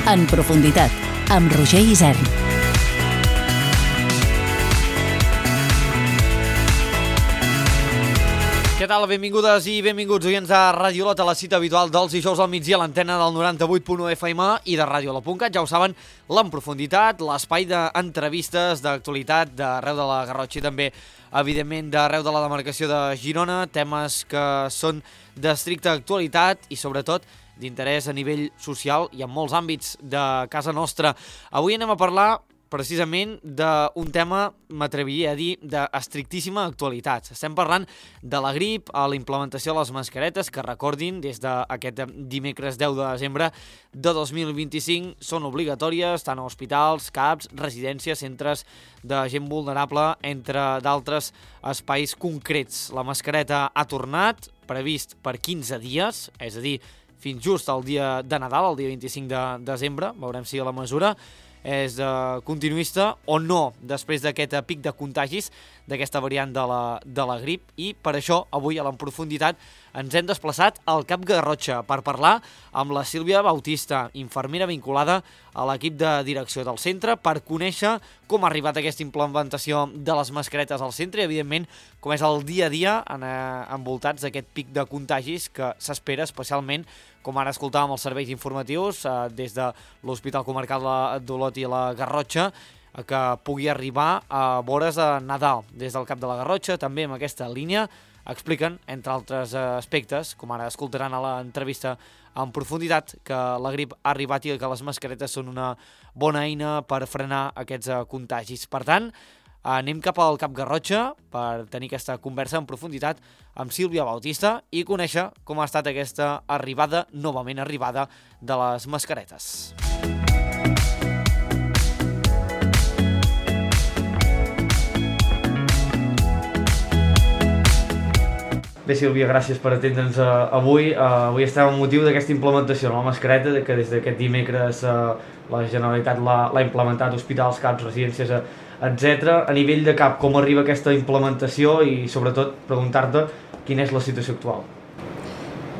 En profunditat, amb Roger Isern. Què tal? Benvingudes i benvinguts oients de Radiolot, a la cita habitual dels dijous al migdia a l'antena del 98.1 FM i de Radiolot.cat. Ja ho saben, l'En profunditat, l'espai d'entrevistes, d'actualitat d'arreu de la Garrotxa i també, evidentment, d'arreu de la demarcació de Girona, temes que són d'estricta actualitat i, sobretot, d'interès a nivell social i en molts àmbits de casa nostra. Avui anem a parlar precisament d'un tema, m'atreviria a dir, d'estrictíssima actualitat. Estem parlant de la grip, a la implementació de les mascaretes, que recordin, des d'aquest dimecres 10 de desembre de 2025 són obligatòries tant a hospitals, CAPs, residències, centres de gent vulnerable, entre d'altres espais concrets. La mascareta ha tornat, previst per 15 dies, és a dir, fins just al dia de Nadal, el dia 25 de desembre, veurem si la mesura és continuista o no després d'aquest pic de contagis d'aquesta variant de la grip, i per això avui a l'En profunditat ens hem desplaçat al Cap Garrotxa per parlar amb la Sílvia Bautista, infermera vinculada a l'equip de direcció del centre, per conèixer com ha arribat aquesta implementació de les mascaretes al centre i, evidentment, com és el dia a dia envoltats d'aquest pic de contagis que s'espera especialment, com ara escoltàvem els serveis informatius des de l'Hospital Comarcal d'Olot i la Garrotxa, que pugui arribar a vores de Nadal. Des del Cap de la Garrotxa, també amb aquesta línia, expliquen, entre altres aspectes, com ara escoltaran a l'entrevista en profunditat, que la grip ha arribat i que les mascaretes són una bona eina per frenar aquests contagis. Per tant, anem cap al Cap Garrotxa per tenir aquesta conversa en profunditat amb Sílvia Bautista i conèixer com ha estat aquesta arribada, novament arribada, de les mascaretes. Bé, Sílvia, gràcies per atendre'ns avui. Avui estem amb motiu d'aquesta implementació de la mascareta, que des d'aquest dimecres la Generalitat l'ha implementat, hospitals, CAPs, residències, etc. A nivell de CAP, com arriba aquesta implementació i, sobretot, preguntar-te quina és la situació actual?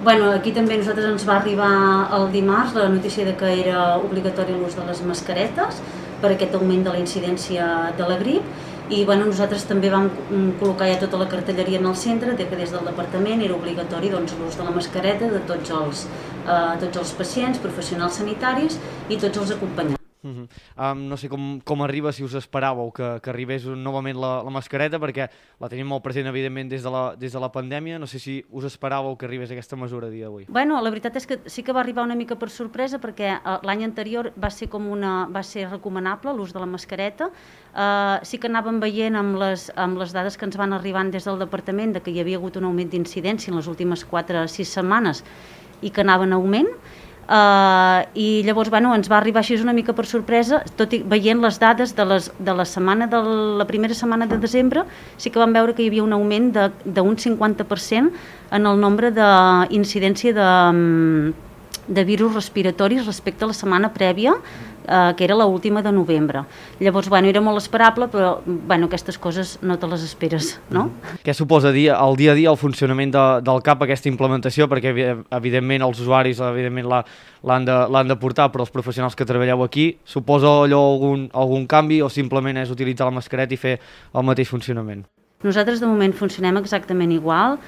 Bueno, aquí també a nosaltres ens va arribar el dimarts la notícia de que era obligatori l'ús de les mascaretes per aquest augment de la incidència de la grip. I nosaltres també vam col·locar ja tota la cartelleria en el centre, que des del departament era obligatori l'ús de la mascareta de tots els pacients, professionals sanitaris i tots els acompanyants. No sé com arriba, si us esperàveu que arribés novament la mascareta, perquè la tenim molt present, evidentment, des de la pandèmia. No sé si us esperàveu que arribés aquesta mesura a dia d'avui. Bueno, la veritat és que sí que va arribar una mica per sorpresa, perquè l'any anterior va ser recomanable l'ús de la mascareta. Sí que anàvem veient amb les dades que ens van arribant des del departament de que hi havia hagut un augment d'incidència en les últimes 4 o 6 setmanes i que anava en augment. I llavors ens va arribar així una mica per sorpresa, tot i veient les dades de la primera setmana de desembre, sí que vam veure que hi havia un augment d'un 50% en el nombre d'incidència de virus respiratoris respecte a la setmana prèvia, que era l'última de novembre. Llavors, era molt esperable, però aquestes coses no te les esperes, no? Què suposa el dia a dia el funcionament del CAP, aquesta implementació? Perquè, evidentment, els usuaris l'han de portar, però els professionals que treballeu aquí, suposa allò algun canvi o simplement és utilitzar la mascareta i fer el mateix funcionament? Nosaltres de moment funcionem exactament igual.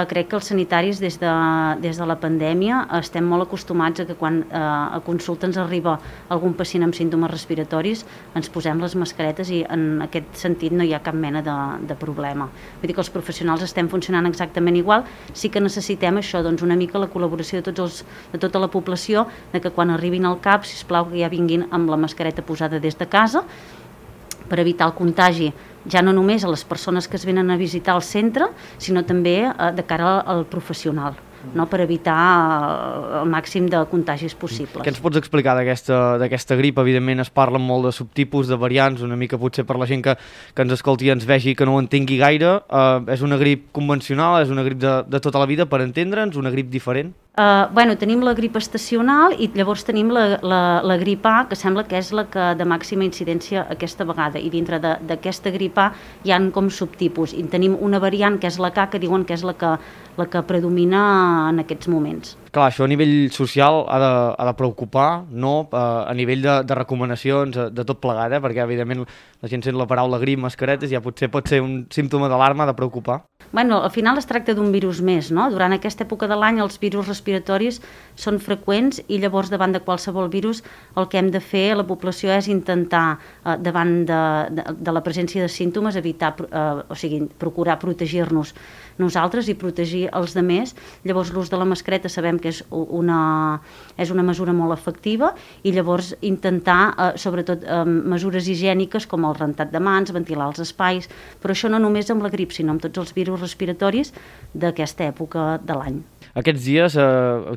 Crec que els sanitaris des de la pandèmia estem molt acostumats a que quan a consulta ens arriba algun pacient amb símptomes respiratoris ens posem les mascaretes i en aquest sentit no hi ha cap mena de problema. Vull dir que els professionals estem funcionant exactament igual. Sí que necessitem això, una mica la col·laboració de tota la població, de que quan arribin al CAP, sisplau, que ja vinguin amb la mascareta posada des de casa per evitar el contagi, ja no només a les persones que es venen a visitar el centre, sinó també de cara al professional, per evitar el màxim de contagis possibles. Què ens pots explicar d'aquesta grip? Evidentment es parla molt de subtipus, de variants, una mica potser per la gent que ens escolti i ens vegi que no ho entengui gaire. És una grip convencional? És una grip de tota la vida, per entendre'ns? Una grip diferent? Tenim la grip estacional i llavors tenim la grip A, que sembla que és la que de màxima incidència aquesta vegada, i dintre d'aquesta grip A hi ha com subtipus, i tenim una variant que és la K, que diuen que és la que predomina en aquests moments. Clar, això a nivell social ha de preocupar, no? A nivell de recomanacions, de tot plegat, perquè evidentment la gent sent la paraula grip, mascaretes, ja potser pot ser un símptoma d'alarma, de preocupar. Al final es tracta d'un virus més, no? Durant aquesta època de l'any els virus respiratoris són freqüents i llavors davant de qualsevol virus el que hem de fer a la població és intentar, davant de la presència de símptomes, procurar protegir-nos nosaltres i protegir els demés. Llavors l'ús de la mascareta sabem que és una mesura molt efectiva, i llavors intentar, sobretot, mesures higièniques com el rentat de mans, ventilar els espais, però això no només amb la grip, sinó amb tots els virus respiratoris d'aquesta època de l'any. Aquests dies,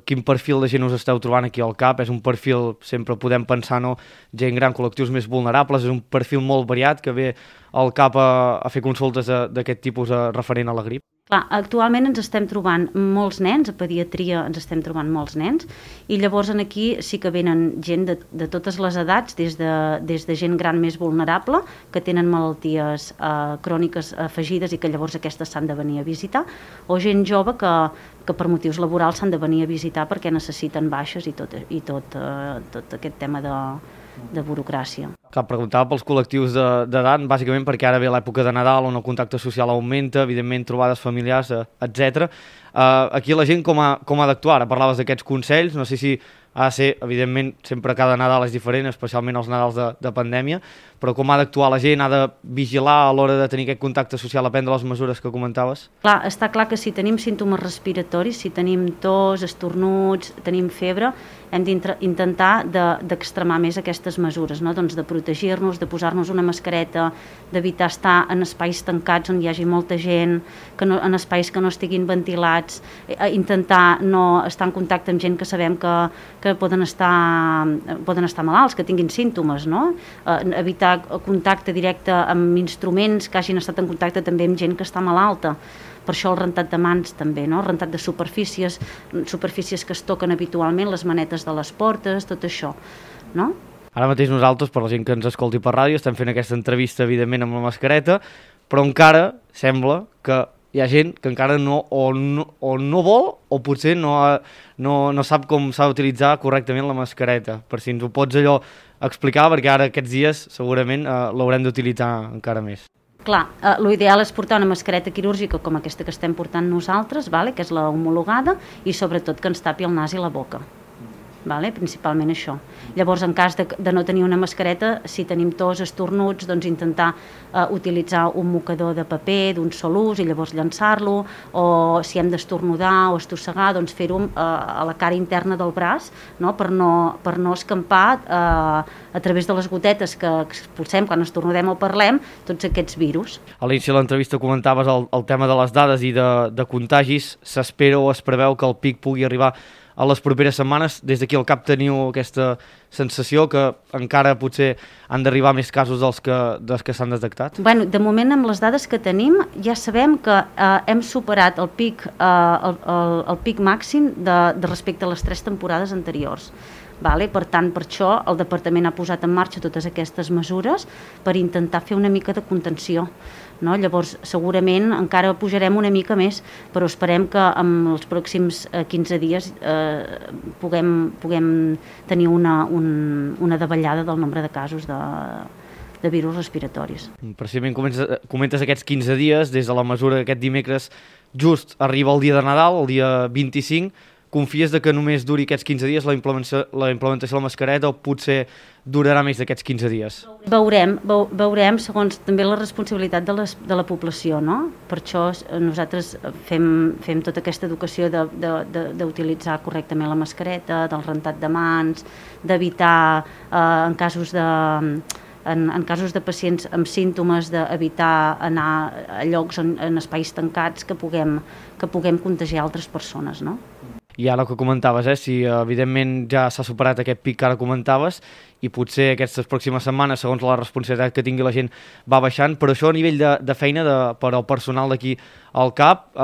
quin perfil de gent us esteu trobant aquí al CAP? És un perfil, sempre podem pensar, no? Gent gran, col·lectius més vulnerables, és un perfil molt variat que ve al CAP a fer consultes d'aquest tipus referent a la grip? Clar, actualment ens estem trobant molts nens, a pediatria ens estem trobant molts nens, i llavors aquí sí que venen gent de totes les edats, des de gent gran més vulnerable, que tenen malalties cròniques afegides i que llavors aquestes s'han de venir a visitar, o gent jove que per motius laborals s'han de venir a visitar perquè necessiten baixes i tot aquest tema de burocràcia. Clar, preguntava pels col·lectius d'edat, bàsicament perquè ara ve l'època de Nadal on el contacte social augmenta, evidentment trobades familiars, etc. Aquí la gent com ha d'actuar? Ara parlaves d'aquests consells, no sé si ha de ser, evidentment, sempre cada Nadal és diferent, especialment els Nadals de pandèmia, però com ha d'actuar la gent? Ha de vigilar a l'hora de tenir aquest contacte social, a prendre les mesures que comentaves? Clar, està clar que si tenim símptomes respiratoris, si tenim tos, estornuts, tenim febre, hem d'intentar d'extremar més aquestes mesures, no? Doncs de protegir-nos, de posar-nos una mascareta, d'evitar estar en espais tancats on hi hagi molta gent, en espais que no estiguin ventilats, intentar no estar en contacte amb gent que sabem que poden estar malalts, que tinguin símptomes, no? Evitar contacte directe amb instruments que hagin estat en contacte també amb gent que està malalta. Per això el rentat de mans també, no? El rentat de superfícies que es toquen habitualment, les manetes de les portes, tot això, no? Ara mateix nosaltres, per la gent que ens escolti per ràdio, estem fent aquesta entrevista, evidentment, amb la mascareta, però encara sembla que hi ha gent que encara no vol o potser no sap com s'ha d'utilitzar correctament la mascareta. Per si ens ho pots explicar, perquè ara aquests dies segurament l'haurem d'utilitzar encara més. Clar, l'ideal és portar una mascareta quirúrgica com aquesta que estem portant nosaltres, que és la homologada, i sobretot que ens tapi el nas i la boca. Principalment això. Llavors, en cas de no tenir una mascareta, si tenim tos, estornuts, doncs intentar utilitzar un mocador de paper d'un sol ús i llavors llançar-lo, o si hem d'estornudar o estossegar, doncs fer-ho a la cara interna del braç, no? Per no escampar a través de les gotetes que expulsem quan estornudem o parlem tots aquests virus. A l'inici de l'entrevista comentaves el tema de les dades i de contagis. S'espera o es preveu que el pic pugui arribar a les properes setmanes. Des d'aquí al CAP teniu aquesta sensació que encara potser han d'arribar més casos dels que s'han detectat? De moment, amb les dades que tenim, ja sabem que hem superat el pic màxim de respecte a les 3 temporades anteriors. Per tant, per això el departament ha posat en marxa totes aquestes mesures per intentar fer una mica de contenció. Llavors, segurament encara pujarem una mica més, però esperem que en els pròxims 15 dies puguem tenir una davallada del nombre de casos de virus respiratoris. Precisament comentes aquests 15 dies, des de la mesura d'aquest dimecres just arriba el dia de Nadal, el dia 25, confies que només duri aquests 15 dies la implementació de la mascareta o potser durarà més d'aquests 15 dies? Veurem segons també la responsabilitat de la població, no? Per això nosaltres fem tota aquesta educació d'utilitzar correctament la mascareta, del rentat de mans, d'evitar en casos de pacients amb símptomes, d'evitar anar a llocs en espais tancats que puguem contagiar altres persones, no? I ara el que comentaves, si evidentment ja s'ha superat aquest pic que ara comentaves i potser aquestes pròximes setmanes, segons la responsabilitat que tingui la gent, va baixant, però això a nivell de feina per al personal d'aquí al CAP,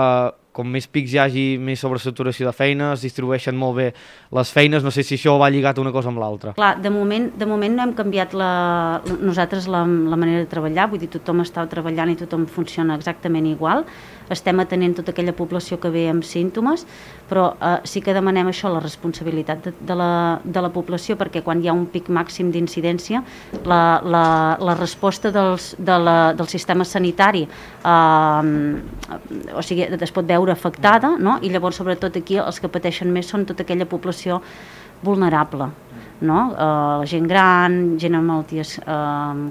com més pics hi hagi, més sobresaturació de feina, es distribueixen molt bé les feines, no sé si això va lligat una cosa amb l'altra. Clar, de moment no hem canviat nosaltres la manera de treballar, vull dir, tothom està treballant i tothom funciona exactament igual, estem atenent tota aquella població que ve amb símptomes, però sí que demanem això, la responsabilitat de la població, perquè quan hi ha un pic màxim d'incidència, la resposta del sistema sanitari o sigui, es pot veure afectada, no? I llavors sobretot aquí els que pateixen més són tota aquella població vulnerable, no? La gent gran, gent amb malalties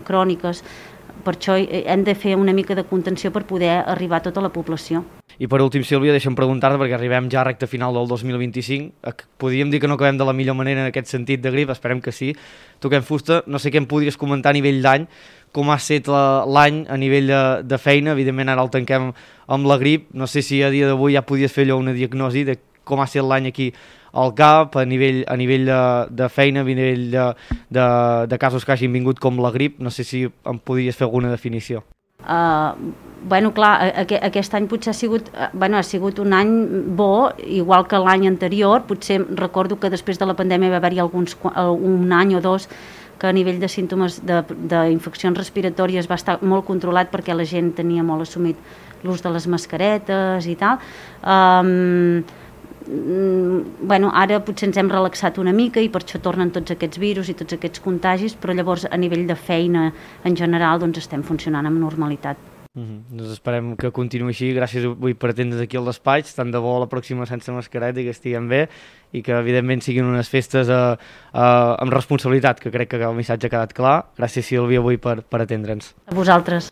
cròniques. Per això hem de fer una mica de contenció per poder arribar a tota la població. I per últim, Sílvia, deixa'm preguntar-te, perquè arribem ja a recta final del 2025, podríem dir que no acabem de la millor manera en aquest sentit de grip, esperem que sí, toquem fusta, no sé què em podries comentar a nivell d'any, com ha estat l'any a nivell de feina, evidentment ara el tanquem amb la grip, no sé si a dia d'avui ja podies fer allò una diagnosi de com ha estat l'any aquí al CAP, a nivell de feina, a nivell de casos que hagin vingut com la grip, no sé si em podries fer alguna definició. Bueno, clar, aquest any potser ha sigut un any bo, igual que l'any anterior. Potser recordo que després de la pandèmia va haver-hi un any o dos que a nivell de símptomes d'infeccions respiratòries va estar molt controlat perquè la gent tenia molt assumit l'ús de les mascaretes i tal. Bueno, ara potser ens hem relaxat una mica i per això tornen tots aquests virus i tots aquests contagis, però llavors a nivell de feina en general doncs estem funcionant amb normalitat. Doncs esperem que continuï així. Gràcies avui per atendre's aquí al despatx, tant de bo la pròxima sense mascareta i que estiguem bé i que evidentment siguin unes festes amb responsabilitat, que crec que el missatge ha quedat clar. Gràcies, Sílvia, avui per atendre'ns. A vosaltres.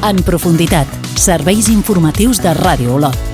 En profunditat, serveis informatius de Ràdio Olot.